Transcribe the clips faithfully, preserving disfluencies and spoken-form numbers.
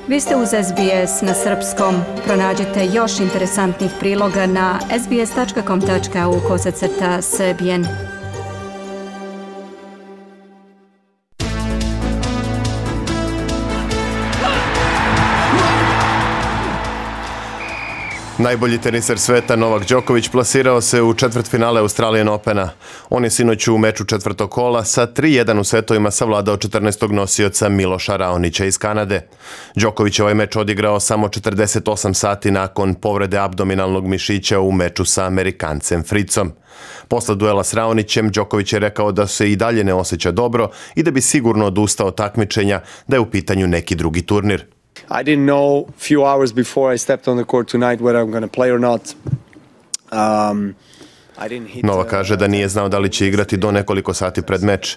Vi ste uz S B S na srpskom. Pronađite još interesantnih priloga na sbs.com.au kosacrta srbijen. Najbolji teniser sveta Novak Đoković plasirao se u četvrtfinale Australian Opena. On je sinoć u meču četvrtog kola sa tri jedan u setovima savladao četrnaestog nosioca Miloša Raonića iz Kanade. Đoković je ovaj meč odigrao samo četrdeset osam sati nakon povrede abdominalnog mišića u meču sa Amerikancem Fritzom. Posle duela s Raonićem, Đoković je rekao da se i dalje ne osjeća dobro i da bi sigurno odustao od takmičenja, da je u pitanju neki drugi turnir. I didn't know few hours before I stepped on the court tonight whether I'm going to play or not. Um, I didn't hit, Nova kaže da nije znao da li će igrati do nekoliko sati pred meč.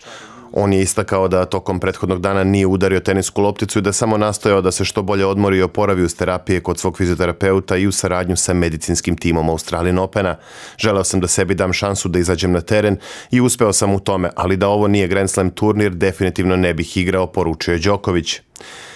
On je istakao da tokom prethodnog dana nije udario tenisku lopticu i da samo nastojao da se što bolje odmori i oporavi uz terapije kod svog fizioterapeuta i u saradnju sa medicinskim timom Australian Opena. Želeo sam da sebi dam šansu da izađem na teren i uspeo sam u tome, ali da ovo nije Grand Slam turnir, definitivno ne bih igrao, poručio je Đoković.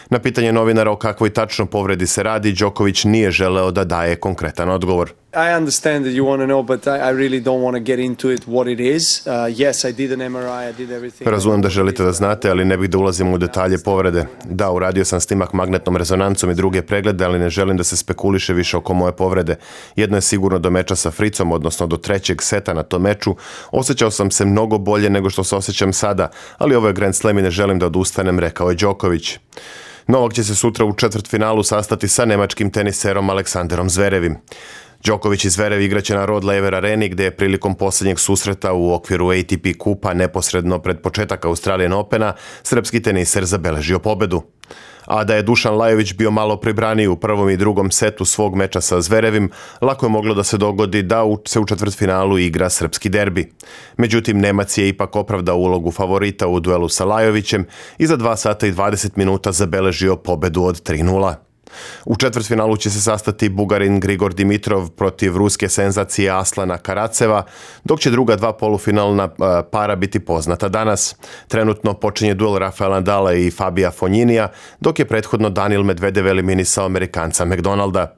Na pitanje novinara o kakvoj tačno povredi se radi, Đoković nije želeo da daje konkretan odgovor. I understand that you want to know, but I, I really don't want to get into it what it is. Uh, yes, I did an M R I, I did everything. Razumem da želite da znate, ali ne bih da ulazim u detalje povrede. Da, uradio sam snimak magnetnom rezonancom i druge preglede, ali ne želim da se spekuliše više oko moje povrede. Jedno je sigurno do meča sa Fritzom, odnosno do trećeg seta na tom meču. Osjećao sam se mnogo bolje nego što se osjećam sada, ali ovo je Grand Slam i ne želim da odustanem, rekao je Đoković. Novak će se sutra u četvrtfinalu sastati sa nemačkim teniserom Aleksanderom Zverevim. Đoković i Zverev igraće na Rod Laver Areni, gde je prilikom posljednjeg susreta u okviru A T P kupa neposredno pred početak Australian Opena srpski teniser zabeležio pobedu. A da je Dušan Lajović bio malo pribraniji u prvom i drugom setu svog meča sa Zverevim, lako je moglo da se dogodi da se u četvrtfinalu igra srpski derbi. Međutim, Nemac je ipak opravdao ulogu favorita u duelu sa Lajovićem i za dva sata i dvadeset minuta zabeležio pobedu od tri nula. U četvrtfinalu će se sastati Bugarin Grigor Dimitrov protiv ruske senzacije Aslana Karaceva, dok će druga dva polufinalna para biti poznata danas. Trenutno počinje duel Rafaela Nadala i Fabija Fogninija, dok je prethodno Daniil Medvedev eliminisao Amerikanca McDonalda.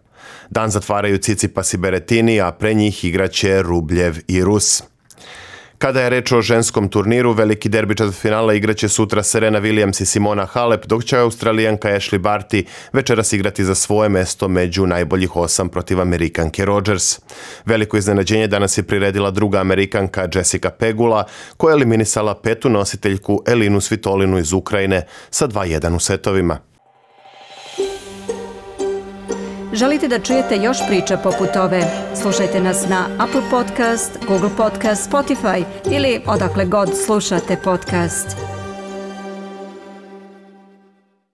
Dan zatvaraju Tsitsipas i Berrettini, a pre njih igraće Rubljev i Rus. Kada je reč o ženskom turniru, veliki derbi četvrtfinala igraće sutra Serena Williams i Simona Halep, dok će Australijanka Ashley Barty večeras igrati za svoje mesto među najboljih osam protiv Amerikanke Rogers. Veliko iznenađenje danas je priredila druga Amerikanka Jessica Pegula, koja je eliminisala petu nositeljku Elinu Svitolinu iz Ukrajine sa dva jedan u setovima. Želite da čujete još priča poput ove? Slušajte nas na Apple Podcast, Google Podcast, Spotify ili odakle god slušate podcast.